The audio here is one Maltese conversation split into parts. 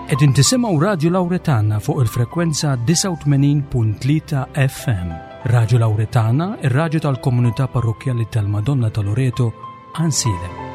Qegħdin tisimgħu Radju Lawretana fuq il-frekwenza 89.3 FM. Radju Lawretana, ir-radju tal-komunità parrokkjali tal-Madonna ta' Loreto, Ansilem.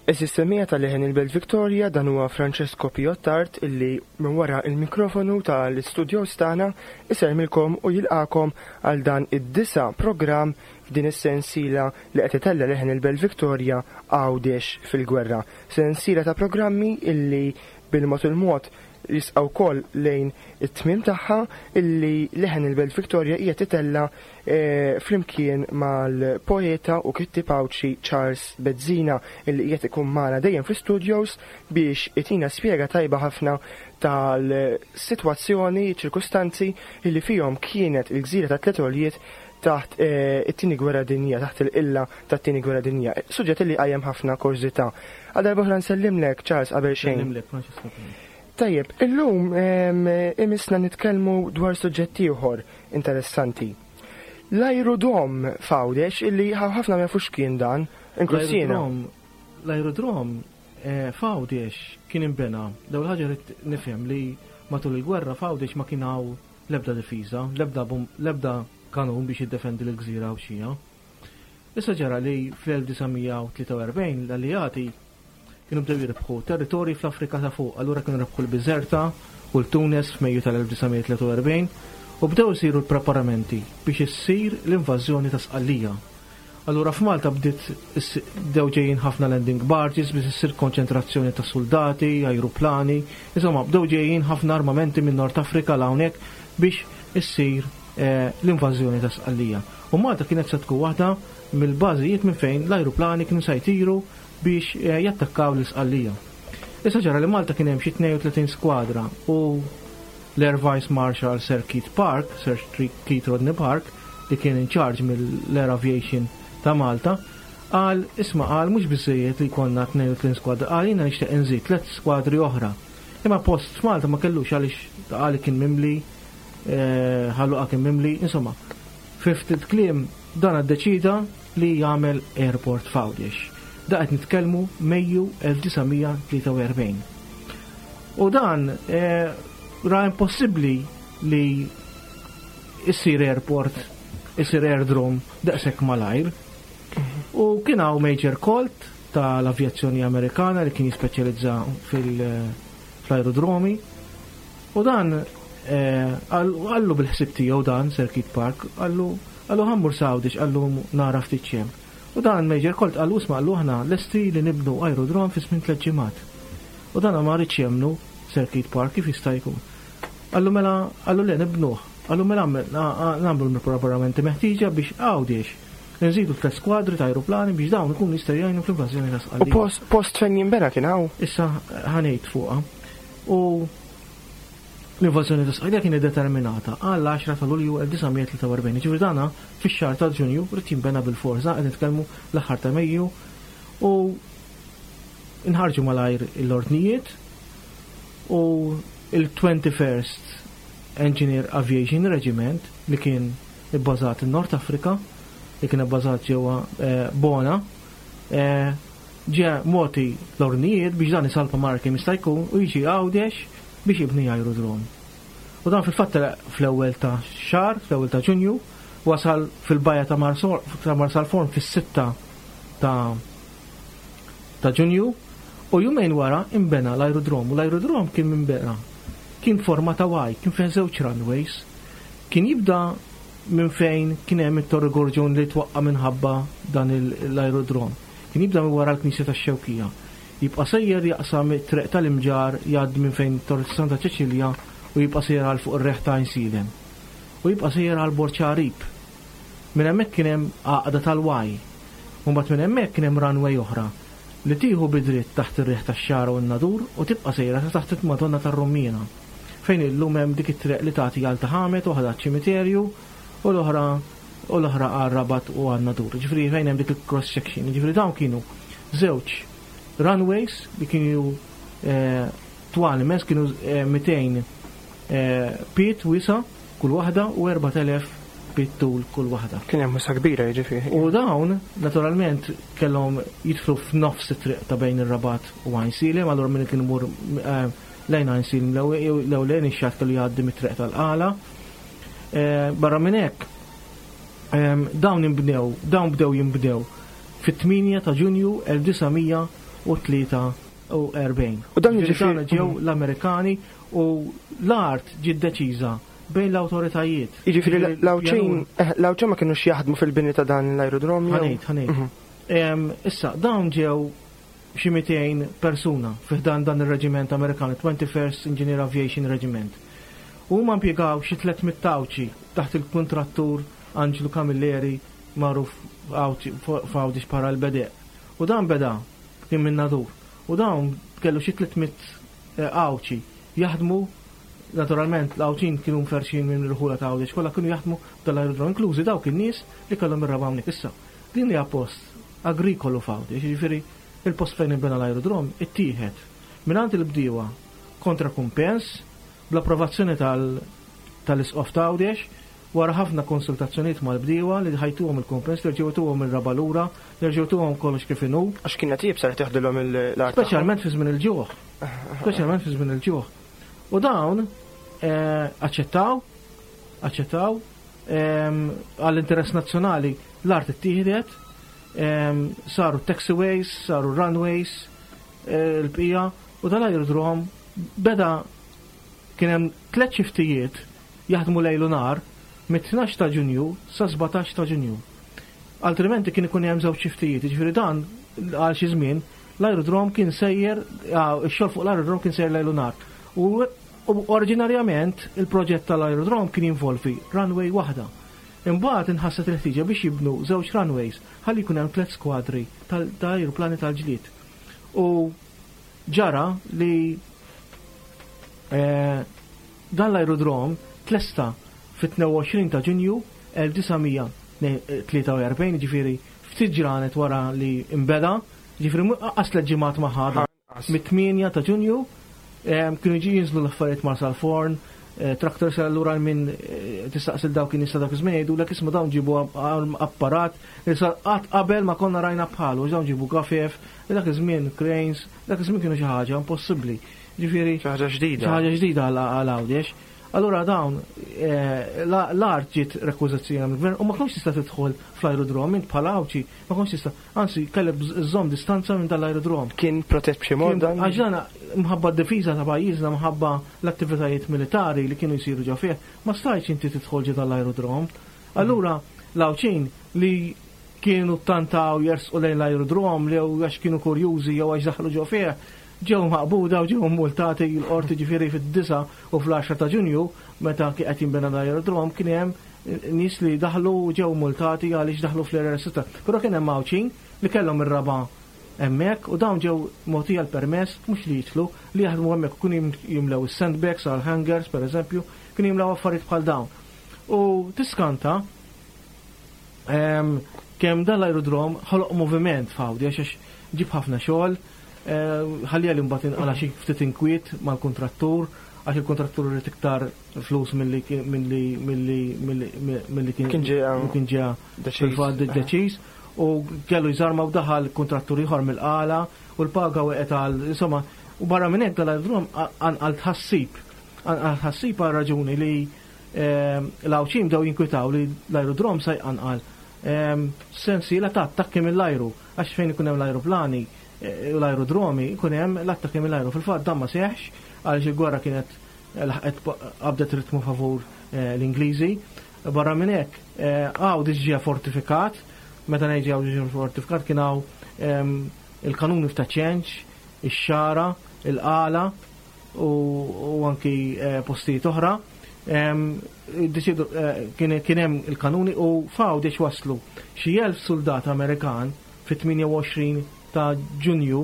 Is-sistemija tal-leħen il-Belt Victoria dan huwa Francesco Piottart illi minn wara il-mikrofonu tal-istudios tagħna isermilkom u jilqakom għal dan id-disa programm f'din is-sensiela li qed itella' leħen il-Belt Victoria Għawdex fil-Gwerra. Sensiela ta' programmi illi bil-mod il-mod jisqa' wkoll lejn it-tmiem tagħha illi leħen il-Belt Victoria qiegħed itella' eh, flimkien mal-poeta u kittieb Għawdxi Charles Bezzina illi qiegħed ikun magħna dejjem fl-studios biex itina spjega tajba ħafna tal-sitwazzjoni, ċirkustanzi illi fihom kienet il-gżira ta' Tliet Għoljiet taħt it-Tieni Gwerra Dinjija, taħt il-qilla tat-Tieni Gwerra Dinjija. Suġġett li qajjem ħafna kurżità. Għal darb'oħra nsellimlek, Charles, qabel xejn. Nsellimlek, Francesco. Tajjeb, illum imissna nitkellmu dwar suġġett ieħor interessanti. L-ajrudrom f'Għawdex illi ħafna ma jafux kien dan, inkluż jiena. L-ajrudrom eh, f'Għawdex kien inbena, l-ewwel ħaġa rrid nifhem li matul il-gwerra f'Għawdex ma kien hawn L-ebda difiża, l-ebda l-ebda kanun biex jiddefendi lill-gżira Għawdxija. Issa ġara li fl-1943 l-Alleati kienu bdew jirbħu territorji fl-Afrika ta' fuq, allura kienu rebħu l-Biżerta u l-Tunes f'Mejju tal-1943 u bdew isiru l-preparamenti biex issir l-invażjoni ta' Sqallija. Allura f'Malta bdiet bdew ġejjin ħafna landing barges biex issir konċentrazzjoni ta' suldati, ajruplani, insomma bdew ġejjin ħafna armamenti minn Nord Afrika 'l hawnhekk biex issir eh, l-invażjoni ta' Sqallija. U Malta kienet se tkun waħda mill-bażijiet minn fejn l-ajruplani kienu se jtiru biex eh, jattakkaw l-Isqallija. Issa ġara li Malta kien hemm xi 32 skwadra u L-Air Vice Marshal Sir Keith Park, Sir Keith Rodney Park, li kien in charge mill-Air Aviation ta' Malta, qal, isma' qal mhux biżżejjed li jkollna 32 skwadra, qal jiena nixtieq inżid tliet skwadri oħra. Imma post f'Malta ma kellux għaliex qal kien mimli, eh, Ħal Luqa kien mimli, insomma. Fi ftit kliem dan ddeċida li jagħmel airport f'Għawdex. Da qed nitkellmu Mejju 1943. U dan eh, ra impossibbli li issir airport, issir airdrome daqshekk malajr. U kien hawn Major Colt tal-avjazzjoni Amerikana li kien jispeċjalizza fil-aerodromi. U dan eh, għallu bil-ħsib tiegħu dan Sir Keith Park, għallu għallu ħammur Sawdix għallu nara ftit xem. U dan Major Colt għallu isma' għallu aħna lesti li nibnu aerodrom fi żmien tliet ġimgħat. U dan ma riedx jemmnu Sir Keith Park kif jista' jkun. Qallu mela, qallu le nibnuh. Qallu mela nagħmlu l-preparamenti meħtieġa biex Għawdex inżidu tliet skwadri ta' ajruplani biex dawn ikunu jistgħu jgħinu fl-invażjoni ta' Sqallija. U post, post fejn jinbena kien hawn? Issa ħa ngħid fuqha. U l-invażjoni ta' Sqallija kienet determinata għall-10 ta' Lulju 1943. Jiġifieri dana fix-xahar ta' Ġunju ried jinbena bilfors. Dan qed nitkellmu l-aħħar ta' Mejju u Inħarġu malajr l-ordnijiet u il-21st Engineer Aviation Regiment li kien ibbażat in-Nord Afrika, li kien ibbażat ġewwa eh, Bona, eh, ġie mogħti l-ordnijiet biex dan isalpa malajr kemm jista' jkun u jiġi Għawdex biex jibni aerodrom. U dan fil-fatt telaq fl-ewwel ta' xahar, fl-ewwel ta' Ġunju, wasal fil-bajja ta' Marsalforn fis-sitta ta' ta' Ġunju u jumejn wara inbena l-ajrudrom u l-ajrudrom kien minbena kien forma ta' Y, kien fih żewġ runways. Kien jibda minn fejn kien hemm it-Torri Gorġun li twaqqa' minħabba dan l-ajrudrom. Kien jibda minn wara l-Knisja tax-Xewkija. Jibqa' sejjer jaqsam it-triq tal-Imġarr jgħaddi minn fejn Torri ta' Santa Ċeċilja u jibqa' sejjer għal fuq ir-Reħ ta' Għajnsielem. U jibqa' sejjer għal Borġ Għarib. Minn hemmhekk kien hemm għaqda tal-Y. U mbagħad minn hemmhekk kien hemm runway oħra li tieħu bi dritt taħt ir-Riħ tax-Xagħra u n-Nadur u tibqa' sejra sa taħt il-Madonna tar-Rummiena, fejn illum hemm dik it-triq li tagħti għal Ta' Ħamed, waħda għaċ-ċimiterju u l-oħra u l-oħra għar-Rabat u għan-Nadur. Jiġifieri fejn hemm dik il-cross section. Jiġifieri dawn kienu żewġ runways li kienu twal immens, kienu 200 pied wiesa' kull waħda u 4000 pied tul kull waħda. Kien hemm wisa' kbira jiġifieri. U dawn naturalment kellhom jidħlu f'nofs it-triq ta' bejn ir-Rabat u Għajnsielem, allura min kien imur lejn Għajnsielem jew lejn ix-xatt kellu jgħaddi mit-triq tal-Qala. Barra minn hekk, dawn inbnew, dawn bdew jinbnew fit-8 ta' Ġunju 1943. U dan jiġifieri ġew l-Amerikani u l-art ġiet deċiża bejn l-awtoritajiet. Jiġifieri l-Għawdxin, l-Għawdxin ma kinux jaħdmu fil-bini ta' dan l-aerodrom jew? Ħa ngħid, ħa ngħid. Issa, dawn ġew xi 200 persuna fi ħdan dan ir-reġiment Amerikan, it-21st Engineer Aviation Regiment. U huma impjegaw xi 300 Għawdxi taħt il-kuntrattur Anġlu Camilleri magħruf f'Għawdex bħala l-Bedeq. U dan beda, kien minn Nadur, u dawn kellu xi 300 Għawdxi jaħdmu, naturalment l-Għawdxin kienu mferrxin minn irħula ta' Għawdex kollha kienu jaħdmu f'dan l-aerodrom, inklużi dawk in-nies li kellhom ir-raba' hawnhekk. Issa, din hija post agrikolu f'Għawdex, jiġifieri il-post fejn inbena l-aerodrom ittieħed mingħand il-bdiewa kontra kumpens, bl-approvazzjoni tal-Isqof t'Għawdex, wara ħafna konsultazzjonijiet mal-bdiewa li ħajtuhom il-kumpens, li rġgħu jtuhom ir-raba' lura, li rġgħu jtuhom kollox kif inhu. Għax kienet iebsa li teħdilhom l-art tagħhom. Speċjalment fi żmien il-ġuħ. Speċjalment fi żmien il-ġuħ. U dawn aċċettaw, aċċettaw, għall-interess nazzjonali l-art ittieħdet, saru taxiways, saru runways, l-bqija, u dal-aerodrom beda kien hemm tliet xiftijiet jaħdmu lejl u nhar mit-tnax ta' Ġunju sa 17 ta' Ġunju. Altrimenti kien ikun hemm żewġ xiftijiet, jiġifieri dan għal xi żmien l-aerodrom kien sejjer, ix-xogħol fuq l-aerodrom kien sejjer lejl u nhar. U oriġinarjament il-proġett tal-aerodrom kien jinvolvi runway waħda. Imbagħad inħasset il-ħtieġa biex jibnu żewġ runways ħalli jkun hemm tliet skwadri ta' ajruplani tal-ġlied. U ġara li dan l-aerodrom tlesta fit-22 ta' Ġunju 1943, jiġifieri ftit ġranet wara li nbeda, jiġifieri anqas tliet ġimgħat ma ħa dan. Mit-8 ta' Ġunju kienu jiġu jinżlu l-affarijiet Marsalforn, tractors allura minn tistaqsi dawk in-nies ta' dak iż-żmien jgħidulek isma' dawn ġibu apparat li sar qatt qabel ma konna rajna bħalu, dawn ġibu gafef, dak iż-żmien cranes, dak iż-żmien kienu xi ħaġa impossibbli. Ġifieri Xi ħaġa ġdida. Xi ħaġa ġdida għal Għawdex. Allura dawn l-art ġiet rekwiżizzjona mill-gvern u ma kontx tista' tidħol fl-aerodrom int bħala Għawdxi, ma kontx tista' anzi kellek żżomm distanza minn dan l-aerodrom. Kien protett b'xi mod dan? Għax dan mħabba d-difiża ta' pajjiżna, mħabba l-attivitajiet militari li kienu jsiru ġo fih, ma stajtx inti tidħol ġo dan l-aerodrom. Allura l-Għawdxin li kienu ttantaw jersqu lejn l-aerodrom jew għax kienu kurjużi jew għax daħlu ġo fih, Ġew maqbuda u ġew mmultati l-Qorti ġifieri fid-9 u fl-10 ta' Ġunju meta kien qed jinbena l-aerodrom kien hemm nies li daħlu u ġew mmultati għaliex daħlu fl-Area Restretta. Però kien hemm Għawdxin li kellhom ir-raba' hemmhekk u dawn ġew mogħtija l-permess mhux li jidħlu, li jaħdmu hemmhekk u kienu jimlew is-sandbags għal hangars pereżempju, kienu jimlew affarijiet bħal dawn. U tiskanta kemm dan l-aerodrom ħoloq moviment f'Għawdex għax ġib ħafna xogħol, Ħalliha li mbagħad inqala' xi ftit inkwiet mal-kuntrattur għax il-kuntrattur irid iktar flus milli milli milli milli kien Kien ġie kien ġie fil-fatt deċiż u kellu jżarma u daħal kuntrattur ieħor mill-qala u l-paga weqgħet għal insomma u barra minn hekk dal-aerodrom qanqal tħassib. Qanqal tħassib għal raġuni li l-Għawdxin bdew jinkwitaw li l-aerodrom se jqanqal sensiela ta' attakki mill-ajru għax fejn ikun hemm l-ajruplani u l-ajrudromi jkun hemm l-attakki mill-ajru. Fil-fatt dan ma seħħx għaliex il-gwerra kienet laħqet qabdet ritmu favur l-Ingliżi. Barra minn hekk, Għawdex ġie fortifikat Meta ngħid Għawdex ġie fortifikat kien hawn il-kanuni f'Ta' Ċenċ, ix-Xagħra, il-Qala u anki postijiet oħra. Deċidu kien hemm il-kanuni u f'Għawdex waslu xi 1000 suldat Amerikan fit-28 ta' Ġunju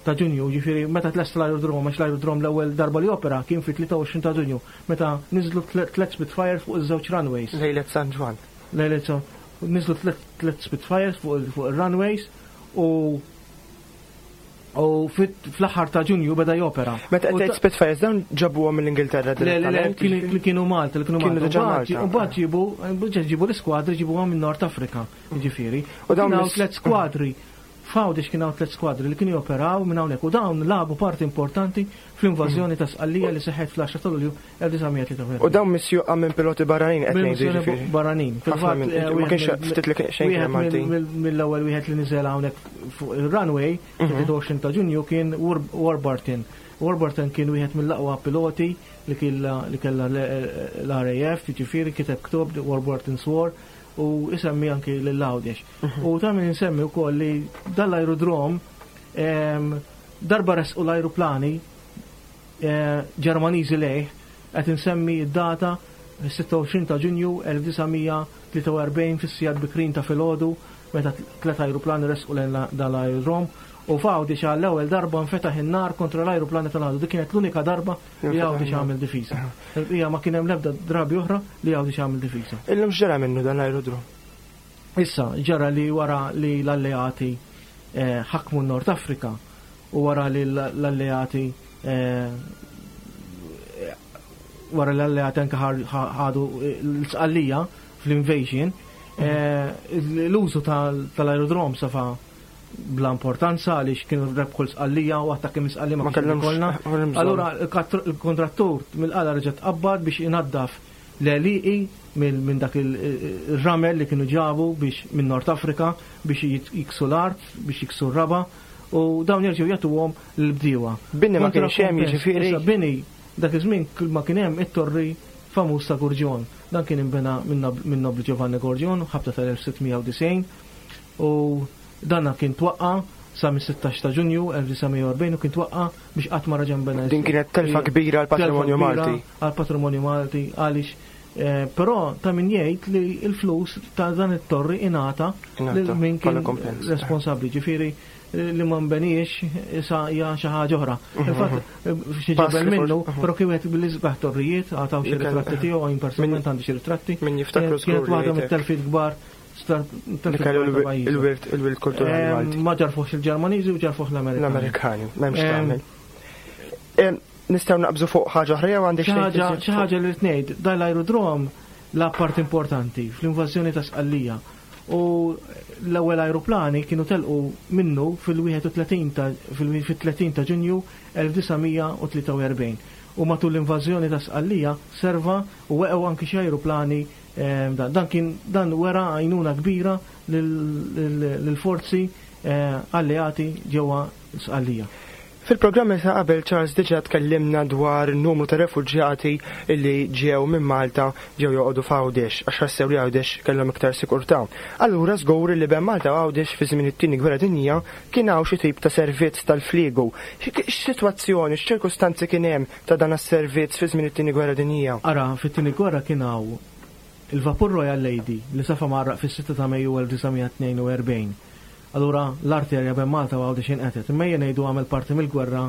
ta' Ġunju, jiġifieri meta tlesta l-aerodrom, għax l-aerodrom l-ewwel darba li opera kien fit-23 ta' Ġunju, meta niżlu tliet Spitfires fuq iż-żewġ runways. Lejlet San Ġwann. Lejlet San Niżlu tliet Spitfires fuq ir-runways u u fl-aħħar ta' Ġunju beda jopera. Meta qed tgħid Spitfires dawn ġabuhom mill-Ingilterra direttament? Le, le, kienu Malta, li kienu Malta. U mbagħad ġibu, ġibu l-iskwadri ġibuhom minn Nord Afrika, jiġifieri. U dawn tliet skwadri F'Għawdex kien hawn tliet skwadri li kienu joperaw minn hawnhekk u dawn lagħbu parti importanti fl-invażjoni ta' Sqallija li seħħet fl-10 ta' Lulju 1943. U dawn misjuqa minn piloti barranin qed ngħidu jiġifieri. Barranin. Fil-fatt ma kienx ftit li xejn kien Maltin. Mill-ewwel wieħed li niżel hawnhekk fuq ir-runway, 23 ta' Ġunju kien Warburton. Warburton kien wieħed mill-aqwa piloti li kellha l-RAF, jiġifieri kiteb ktieb Warburton's War u isemmi anki lil Għawdex. U ta' min insemmi wkoll li dan l-aerodrom darba resqu l-ajruplani Ġermaniżi lejh, qed insemmi d-data 26 ta' Ġunju 1943 fis-sigħat bikrin ta' filgħodu meta tliet ajruplani resqu lejn dan l-aerodrom u f'Għawdex għall-ewwel darba nfetaħ in-nar kontra l-ajruplani tal-għadu. Dik kienet l-unika darba li Għawdex għamel difiża. Il-bqija ma kien hemm l-ebda drabi oħra li Għawdex għamel difiża. Illum x'ġara minnu dan l-aerodrom? Issa, ġara li wara li l-Alleati ħakmu n-Nord Afrika u wara li l-Alleati wara li l-Alleati anke ħadu l-Sqallija fl-invasion, l-użu tal-aerodrom safa bla importanza għaliex kienu rebħu l-Sqallija u attakki minn Sqallija ma kellhomx ikollna. Allura l-kontrattur mill-qala reġa' tqabbad biex inaddaf l-għelieqi minn dak ir-ramel li kienu ġabu biex minn Nord Afrika biex jiksu l-art, biex jiksu r-raba' u dawn jerġgħu jagħtuhom lill-bdiewa. Bini ma kienx hemm jiġifieri. Issa bini dak iż-żmien kull ma kien hemm it-torri famuż ta' Gurġjon. Dan kien inbena min-nobbli Giovanni Gorġjon ħabta tal-1690 u dan kien twaqqa' sa mis-16 ta' Ġunju 1940 u kien twaqqa' biex qatt ma raġa' nbena. Din kienet telfa kbira għall-patrimonju Malti. Għall-patrimonju Malti għaliex eh, però ta' min jgħid li l-flus ta' dan it-torri ingħata lil min kien responsabbli, ġifieri eh, li ma nbeniex issa hija xi ħaġa oħra. Mhm. Infatti eh, xi ġebel minnu, mhm. però kien wieħed bil-isbaħ torrijiet, għataw xi ritratti tiegħu, jien personalment għandi xi ritratti. Min jiftakru Kienet waħda mit-telfiet kbar Il-wirt il-wirt kulturali Malti. Ma ġarfuħx il-Ġermaniżi u ġarfuħ l-Amerikani. L-Amerikani, m'hemmx tagħmel. Nistgħu naqbżu fuq ħaġa oħra jew għandek xi ħaġa li tgħid, dan l-aerodrom la part importanti fl-invażjoni ta' Sqallija. U l-ewwel ajruplani kienu telqu minnu fil-31 ta' fil-30 ta' Ġunju 1943. U matul l-invażjoni ta' Sqallija serva u weqgħu anki xi ajruplani Dan kien dan wera għajnuna kbira lill-forzi alleati ġewwa Sqallija. Fil-programmi ta' qabel Charles diġà tkellimna dwar numru ta' refuġjati li ġew minn Malta ġew joqogħdu f'Għawdex għax ħassew li Għawdex kellhom iktar sikurtà. Allura żgur li bejn Malta u Għawdex fi żmien it-Tieni Gwerra Dinjija kien hawn xi tip ta' servizz tal-fliegu. X'sitwazzjoni, x'ċirkustanzi kien hemm ta' dan is-servizz fi żmien it-Tieni Gwerra Dinjija. Ara, fit-Tieni Gwerra kien hawn il-vapur Royal Lady li safa mgħarraq fis-sitta ta' Mejju 1942. Allura l-arterja bejn Malta u Għawdex inqetgħet. Imma ejja ngħidu għamel parti mill-gwerra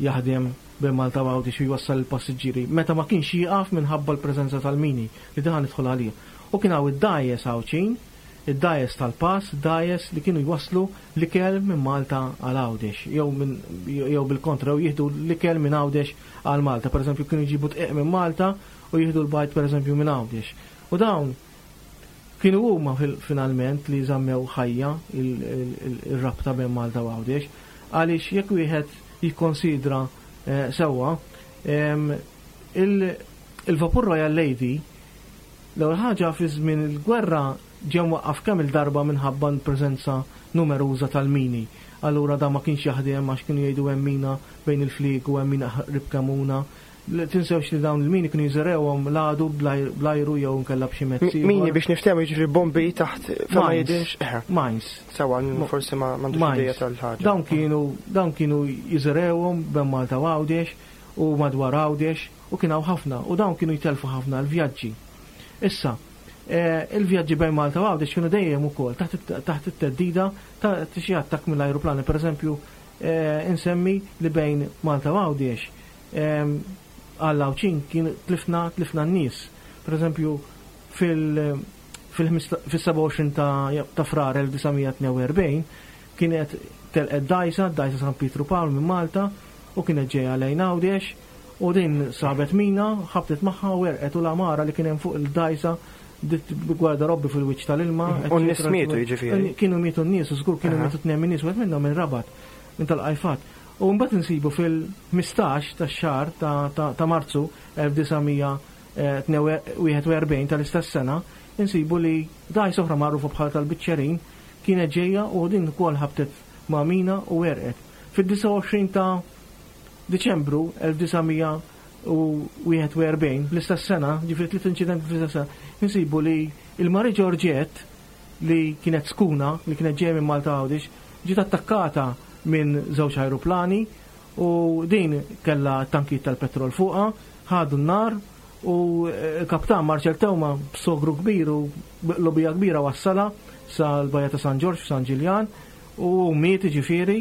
jaħdem bejn Malta u Għawdex u jwassal il-passiġġieri meta ma kienx jieqaf minħabba l-preżenza tal-mini li diħa nidħol għaliha. U kien hawn id-dgħajjes Għawdxin id-dgħajjes tal-pass, dgħajjes li kienu jwasslu l-ikel minn Malta għal Għawdex, jew minn jew bil-kontra, jew jieħdu l-ikel minn Għawdex għal Malta. Pereżempju kienu jġibu dqiq minn Malta u jieħdu l-bajd pereżempju minn Għawdex. U dawn kienu huma finalment li żammew ħajja ir-rabta bejn Malta u Għawdex, għaliex jekk wieħed jikkonsidra eh, sewwa, il-vapur Royal Lady L-ewwel ħaġa fi żmien il-gwerra ġie mwaqqaf kemm-il darba minħabba l-preżenza numeruża tal-mini. Allura dan ma kienx jaħdem għax kienu jgħidu hemm mina bejn il-flieg u hemm mina qrib Kemuna. Tinsewx li dawn il-mini kienu jiżerewhom l-għadu bl-ajru jew nkella b'xi mezz. Mini biex niftehmu jiġifieri bombi taħt fejn ma jidhirx. Mines. Sewa, forsi ma m'għandux idea tal-ħaġa. Dawn kienu dawn kienu jiżerewhom bejn Malta u Għawdex u madwar Għawdex u kien hawn ħafna u dawn kienu jtellfu ħafna l-vjaġġi. Issa, il-vjaġġi bejn Malta u Għawdex kienu dejjem ukoll taħt it-theddida ta' xi attakk mill-ajruplani. Pereżempju, insemmi li bejn Malta u Għawdex Għall-Għawdxin kien tlifna tlifna n-nies. Per eżempju, fil-27 ta' Frar 1942 kienet telqet dgħajsa, d-dgħajsa San Pietru Pawl minn Malta u kienet ġejja lejn Għawdex u din sabet mina, ħabtet magħha u għerqet u l-għamara li kien hemm fuq il-dgħajsa bdiet gwardarobbi fil-wiċċ tal-ilma. U n-nies mietu jiġifieri. Kienu mietu n-nies u żgur kienu mietu tnejn min-nies, wieħed minnhom inrabat minn tal-qajfat. U mbagħad insibu fil-15 tax-xahar ta' Marzu 1941 tal-istess sena, insibu li dgħajsa oħra magħrufa bħala tal-Biċċerin kienet ġejja u din ukoll ħabtet ma' mina u għerqet. Fid-29 ta' Diċembru 1941, l-istess sena, ġifieri tliet inċidenti fl-istess sena, insibu li l-Marie Georgette li kienet skuna, li kienet ġejja minn Malta Għawdex, Ġiet attakkata minn żewġ ajruplani u din kellha tankijiet tal-petrol fuqha, ħadu n-nar u l-kaptan Marcel Teuma b'sogru kbir u b'qlubija kbira wassalha sal-Bajja ta' San Ġorġ f'San Ġiljan u miet jiġifieri,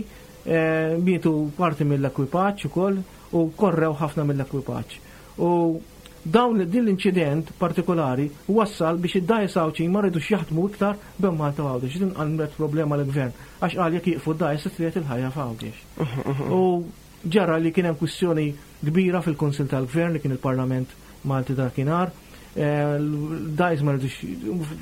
mietu parti mill-ekwipaġġ ukoll u korrew ħafna mill-ekwipaġġ. U dawn din l-inċident partikolari wassal biex id-dgħajjes Għawdxin ma ridux jaħdmu iktar bejn Malta u Għawdex. Din għamlet problema lill-Gvern għax qal jekk jieqfu d-dgħajjes se triegħed il-ħajja f'Għawdex. U ġara li kien hemm kwistjoni kbira fil-Kunsill tal-Gvern li kien il-Parlament Malti dakinhar. L-dgħajjes ma ridux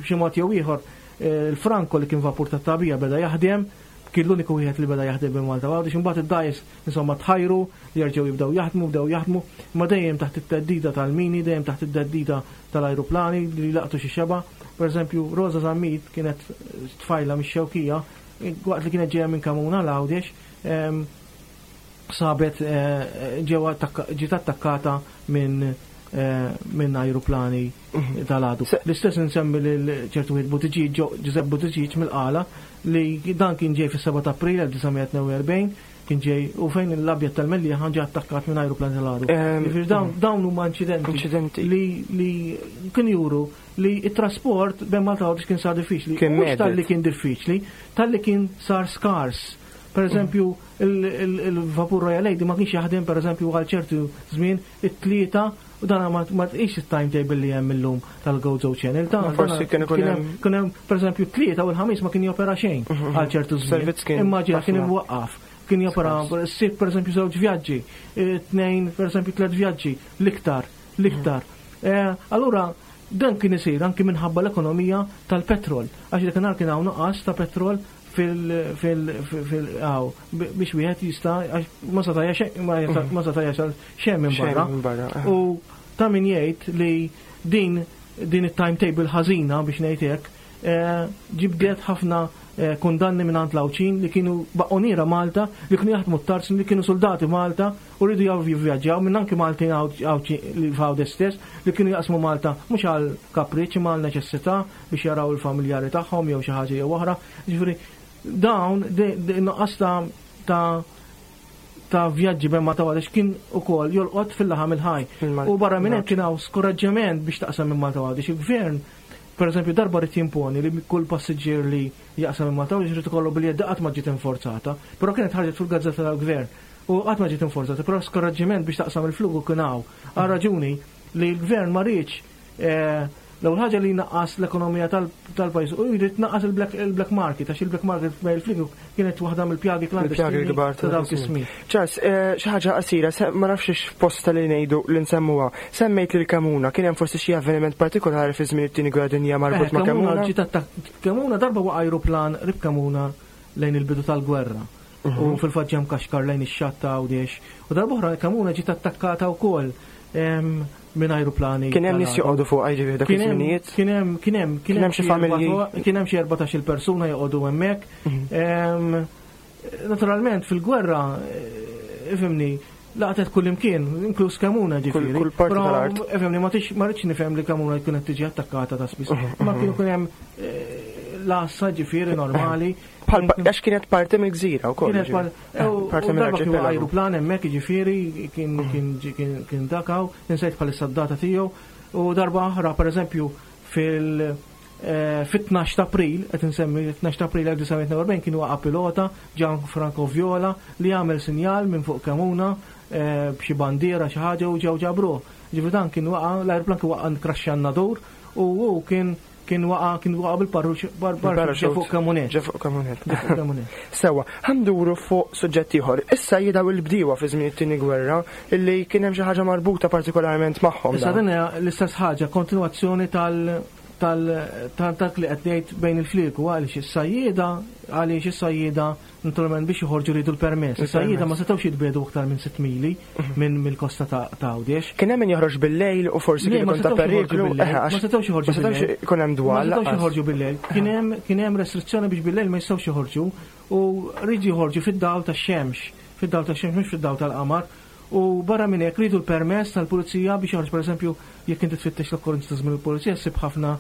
b'xi mod jew ieħor il-Franco li kien vapur tat-tagħbija beda jaħdem, kien l-uniku wieħed li beda jaħdem bejn Malta u Għawdex. Imbagħad id-dgħajjes Insomma tħajru li jerġgħu jibdew jaħdmu, bdew jaħdmu, imma dejjem taħt it-theddida tal-mini, dejjem taħt it-theddida tal-ajruplani li laqtu xi xebgħa. Per eżempju, Rosa Zammit kienet tfajla mix-Xewkija, waqt li kienet ġejja minn Kamuna għal Għawdex, ehm, sabet eh, ġewwa ġiet attakkata minn eh, minn ajruplani mhm. tal-għadu. L-istess insemmi lil ċertu wieħed Buttigieg, Giuseppe Buttigieg mill-Qala, li dan kien ġej fis-7 ta' April 1942 kien ġej u fejn l-abjad tal-Mellieħa ġie attakkat minn ajruplan tal-għadu. Jiġifieri dawn huma inċidenti li li kien juru li t-trasport bejn Malta u Għawdex kien sar diffiċli. Mhux talli kien diffiċli, talli kien sar skars. Per eżempju, il-vapur Royal Lady ma kienx jaħdem per eżempju għal ċertu żmien it-tlieta U dan ma tqis it-timetable li hemm illum tal-Gozo Channel. Ta' forsi kien ikun hemm. Kien hemm pereżempju tlieta u l-ħamis ma kien jopera xejn mhm, mhm. għal ċertu żmien. Immaġina kien imwaqqaf. Kien jopera s-sibt pereżempju żewġ vjaġġi, e, tnejn pereżempju tliet vjaġġi, l-iktar, l-iktar. Mhm. E, allura dan kien isir anki minħabba l-ekonomija tal-petrol, għax dak kien hawn nuqqas ta' petrol fil fil fil għaw biex wieħed jista' ma seta' ma seta' jasal xejn minn barra. Eh. U ta' min jgħid li din din it-timetable ħażina biex ngħid hekk eh, ġibdet ħafna eh, kundanni minn għand l-Għawdxin li kienu baqoniera Malta, li kienu jaħdmu t-tarz, li kienu soldati Malta u rridu jaw jivvjaġġaw minn anki Maltin li f'Għawdex stess li kienu jaqsmu Malta mhux għal kapriċċ imma għal neċessità biex jaraw il-familjari tagħhom jew xi ħaġa jew oħra. Jiġifieri dawn nuqqas ta' ta' ta' vjaġġi bejn Malta u Għawdex kien ukoll jolqot fil-laħam il-ħaj. U barra minn hekk kien hawn skoraġġament biex taqsam minn Malta u Għawdex. Il-gvern, per eżempju, darba rid jimponi li kull passiġġier li jaqsam minn Malta u Għawdex irid ikollu biljett qatt ma ġiet inforzata, però kienet ħarġet fil-gazzetta tal-gvern. U qatt ma ġiet inforzata, però skoraġġiment biex taqsam il-flugu kien hawn. Għal raġuni li l-gvern ma riedx eh, l-ewwel ħaġa li jnaqqas l-ekonomija tal-pajjiż u jrid tnaqqas il-black market għax il-black market bejn il-fliegu kienet waħda mill-pjagi klandestini kbar ta' dawk is-snin. Charles, eh, xi ħaġa qasira, ma nafx x'posta li ngħidu li nsemmuha. Semmejt lil Kamuna, kien hemm forsi xi avveniment partikolari fi żmien it-tieni gwerra dinja marbut eh, ma' Kamuna? Kamuna darba waqa' ajruplan rib Kamuna lejn il-bidu tal-gwerra. U mhm. fil-fatt ġem kaxkar lejn ix-xatt ta' Għawdex. U darb'oħra Kamuna ġiet attakkata wkoll minn ajruplani. Kien hemm nies joqogħdu fuq jiġifieri dak iż-żminijiet? Kien hemm kien hemm kien hemm xi familji. Kien hemm xi 14-il persuna joqogħdu hemmhekk. Mhm. Naturalment fil-gwerra eh, ifhimni. Laqtet kull imkien, inkluż Kemuna ġifieri. Kull parti tal-art. Efhemni, ma tix ma rridx nifhem li Kemuna jkun qed tiġi attakkata ta' spiss. Ma kien ikun hemm eh, l-għassa ġifieri normali. Bħal għax kienet parti mill-gżira wkoll. Kienet parti mill-arċipelagu. Ajruplan hemmhekk ġifieri kien mhm. kien dakaw, insejt bħalissa d-data tiegħu. U darba oħra, pereżempju, fil- eh, fit-12 ta' April, qed insemmi 12 ta' April 1942 kien waqa' pilota Gianfranco Viola li għamel sinjal minn fuq Kemuna eh, b'xi bandiera xi ħaġa u ġew ġabruh. Ġifieri dan kien waqa' l-ajruplan kien waqa' nkraxxa n-nadur u hu kien kien waqa' kien waqa' bil-parrux ġe fuq Kemunet. Ġe fuq Kemunet. Sewa, ħanduru fuq suġġett ieħor. Issa jidaw il-bdiewa fi żmien it-tieni gwerra illi kien hemm xi ħaġa marbuta partikolarment magħhom. Issa din hija l-istess ħaġa, kontinwazzjoni tal tal dak li qed ngħid bejn il-flieku għaliex is-sajjieda għaliex is-sajjieda naturalment biex joħorġu riedu l-permess. Is-sajjieda ma setgħux jitbiegħdu aktar minn 6 mili minn mill-kosta ta' Għawdex. Kien hemm min joħroġ bil-lejl u forsi kien ikun ta' periklu. Ma setgħux joħorġu. Ma setgħux ikun hemm dwal. Ma setgħux joħorġu bil-lejl. Kien hemm kien hemm restrizzjoni biex bil-lejl ma jistgħux joħorġu u rridu joħorġu fid-dawl tax-xemx, fid-dawl tax-xemx mhux fid-dawl tal-qamar. U barra minn hekk riedu l-permess tal-pulizija biex joħroġ pereżempju jekk inti tfittex l-okkorrenzi ta' żmien il-pulizija ssib ħafna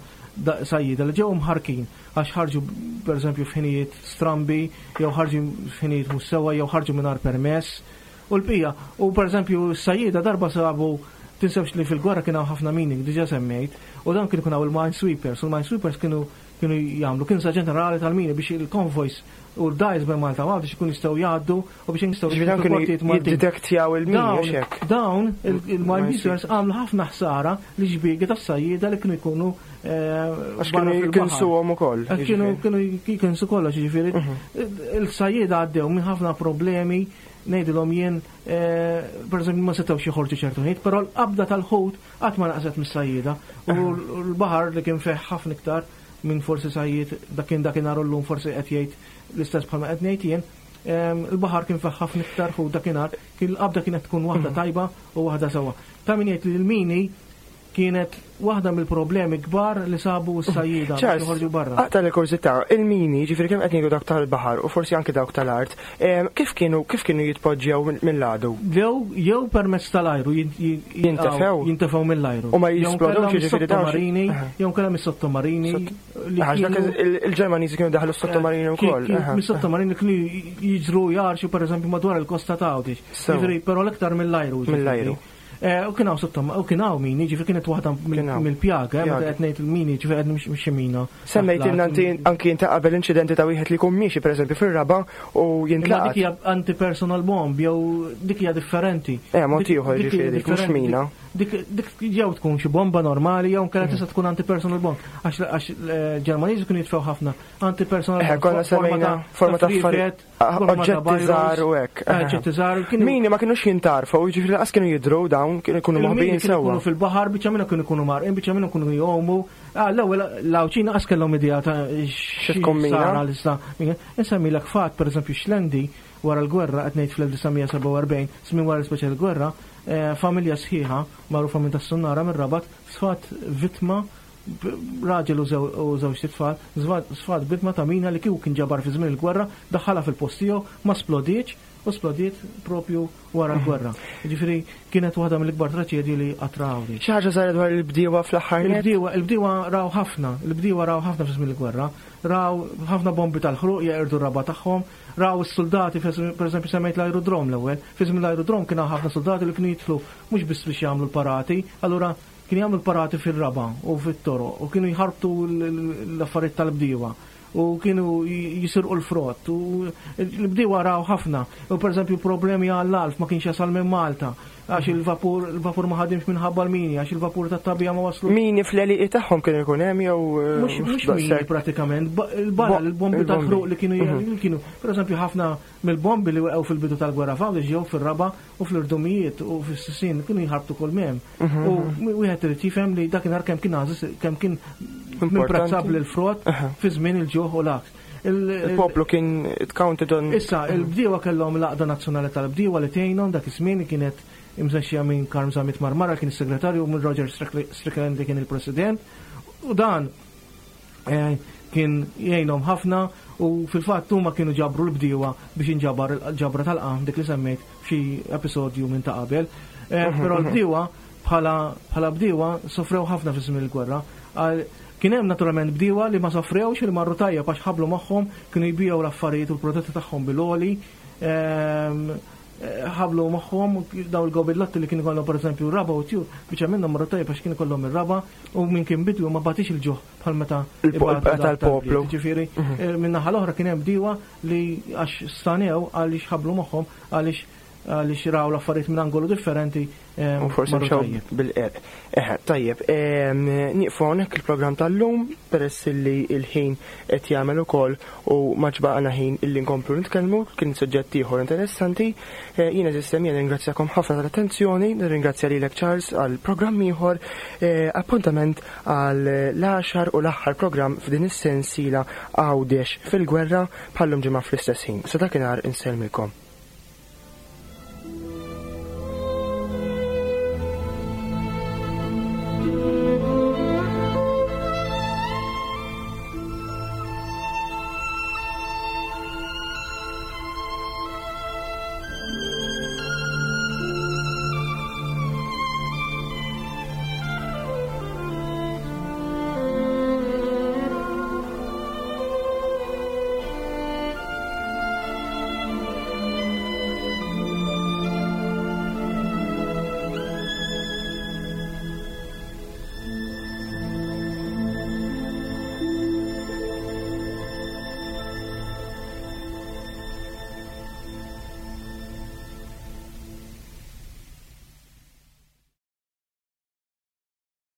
sajjieda li ġew imħarrkin għax ħarġu pereżempju f'ħinijiet strambi jew ħarġu f'ħinijiet mhux sewwa jew ħarġu mingħajr permess u l-bqija. U pereżempju s-sajjieda darba sabu tinsewx li fil-gwerra kien hawn ħafna mini diġà semmejt u dan kien ikun hawn il-minesweepers u l-minesweepers kienu kienu jagħmlu kinsa ġenerali tal-mini biex il-konvojs u l-dgħajs bejn Malta u Għawdex ikun jistgħu jgħaddu u biex jistgħu Ġifieri dawn kienu jiddetektjaw il-mini hekk. Dawn il-minesweepers għamlu ħafna ħsara li xbiegi tas-sajjieda li kienu jkunu eh, Għax kienu jikinsuhom ukoll. Eh, kienu kienu jikinsu kollox, jiġifieri. Mhm. Il-sajjieda għaddew minn ħafna problemi ngħidilhom jien eh, pereżempju ma setgħux joħorġu ċertu ħin, però l-qabda tal-ħut Qatt ma naqset mis-sajjieda u l-baħar li kien fih ħafna iktar minn forsi sajjied dak kien dakinhar u llum forsi qed jgħid l-istess bħalma qed ngħid jien, il-baħar kien fih ħafna iktar ħut dakinhar, kien l-qabda kienet tkun waħda tajba u waħda sewwa. Ta' min jgħid li l-mini kienet waħda mill-problemi kbar li sabu s-sajjieda biex joħorġu barra. Aqta' l-kurżità, il-mini, ġifieri kemm qed ngħidu dawk tal-baħar u forsi anke dawk tal-art, Kif kienu kif kienu jitpoġġew mill-għadu? Jew jew permezz tal-ajru jintefgħu jintefgħu mill-ajru. U ma jisplodewx jiġifieri sottomarini, jew kellha mis-sottomarini. Għax dak il-Ġermaniżi kienu daħlu s-sottomarini wkoll. Mis-sottomarini kienu jiġru jarxu pereżempju madwar il-kosta ta' Għawdex. Jiġifieri però l-iktar mill-ajru. Mill-ajru. Eh, u kien hawn sottom, u kien hawn mini, ġifieri kienet waħda mill-pjaga, eh, meta qed ngħid il-mini, ġifieri qed mhux xi mina. Semmejt inti anki inta qabel inċidenti ta' wieħed li jkun miexi pereżempju fir-raba u jintlaqat. Dik hija anti-personal bomb jew dik hija differenti. Eh, mod ieħor ġifieri mhux mina. Dik jew tkun xi bomba normali jew nkella tista' tkun anti-personal bomb. Għax eh, Ġermaniżi kienu jitfgħu ħafna anti-personal bomb. Konna semmejna forma ta' affarijiet. Oġġetti żgħar u hekk. Oġġetti żgħar. Mini ma kinux jintarfu, jiġifieri lanqas kienu jidhru dawn, kienu jkunu moħbijin sewwa. Kienu fil-baħar, biċċa minnhom kienu jkunu marqin, biċċa minnhom kienu jgħumu. Ah, l-ewwel l-Għawdxin lanqas kellhom idea ta' xi tkun mina. Insemmilek fatt, pereżempju Xlendi, wara l-gwerra, qed ngħid fl-1947, żmien wara l-ispeċi l-gwerra, eh, familja sħiħa magħrufa minn tas-Sunnara mir-Rabat sfat vittma raġel u żewġt itfal, sfat vittma ta' mina li kieku kien ġabar fi żmien il-gwerra, daħħalha fil-post tiegħu, ma splodietx u splodiet propju wara l-gwerra. Jiġifieri kienet waħda mill-ikbar traċedji li qatt ra Għawdex. Xi ħaġa żgħira dwar il-bdiewa fl-aħħar nett? Il-bdiewa, il-bdiewa raw ħafna, il-bdiewa raw ħafna fi żmien il-gwerra. Raw ħafna bombi tal-ħruq jeqirdu r-raba' tagħhom, raw is-suldati, pereżempju semmejt l-ajrudrom l-ewwel, fi żmien l-ajrudrom kien hawn ħafna suldati li kienu jidħlu mhux biss biex jagħmlu l-parati, allura Kienu jagħmlu l-parati fir-raba' u fit-toroq u kienu jħarbtu l-affarijiet tal-bdiewa u kienu jisirqu l-frott u l-bdiewa raw ħafna. U pereżempju problemi għall-għalf ma kienx jasal minn Malta għax il-vapur il-vapur ma ħadimx minħabba l-mini għax il-vapur tat-tagħbija ma waslu. Mini fl-għelieqi tagħhom kienu jkun hemm jew Mhux mini pratikament, il-bala, il-bombi tal-ħruq li kienu mhm. kienu pereżempju ħafna mill-bombi li weqgħu fil-bidu tal-gwerra f'Għawdex ġew fir-raba' u fl-irdumijiet u fis-sisien kienu jħarbtu kull m'hemm. Mhm. U wieħed irid jifhem li dakinhar kemm kien għażiż kemm kien imprezzabbli l-frott fi żmien il-ġuħ u l-għaks. Il-poplu kien it counted on. Issa, il-bdiewa kellhom l-Għaqda Nazzjonali tal-Bdiewa li tgħinhom dak iż-żmien li kienet imżexxija minn Karm Zammit Marmara kien is-segretarju u minn Roger Strickland li kien il-president. U dan Eh, kien jgħinhom ħafna u fil-fatt huma kienu ġabru l-bdiewa biex inġabar il-ġabra tal-qam dik li semmejt f'xi episodju minn ta' qabel. Eh, mhm, però mhm. l-bdiewa bħala bdiewa sofrew ħafna fi żmien il-gwerra. Kien hemm naturalment bdiewa li ma sofrewx li marru tajjeb għax ħablu magħhom kienu jbiegħu l-affarijiet u l-prodotti tagħhom bil-għoli. Ehm, ħablu magħhom daw il-gobillotti li kienu kollhom pereżempju raba u tjur, biċċa minnhom marru tajjeb għax kienu kollhom ir-raba u min kien bidwi ma batix il-ġuħ bħal meta tal-poplu. Ġifieri, mhm. eh, minn naħa l-oħra kien hemm bdiewa li għax stanew għaliex ħablu magħhom għaliex għaliex raw l-affarijiet minn angolu differenti. Eh, u forsi mxew bil-qerq. Eħe, tajjeb, nieqfu hawnhekk il-programm tal-lum peress li il-ħin qed jagħmel ukoll u ma ġbaqna ħin illi nkomplu nitkellmu, kien suġġett ieħor interessanti. Eh, jiena sistem jien ringrazzjakom ħafna tal-attenzjoni, nirringrazzja lilek Charles għal programm ieħor, eh, appuntament għal l-għaxar u l-aħħar programm f'din is-sensiela Għawdex fil-gwerra bħallum ġimgħa fl-istess ħin. Sa dakinhar insellmilkom.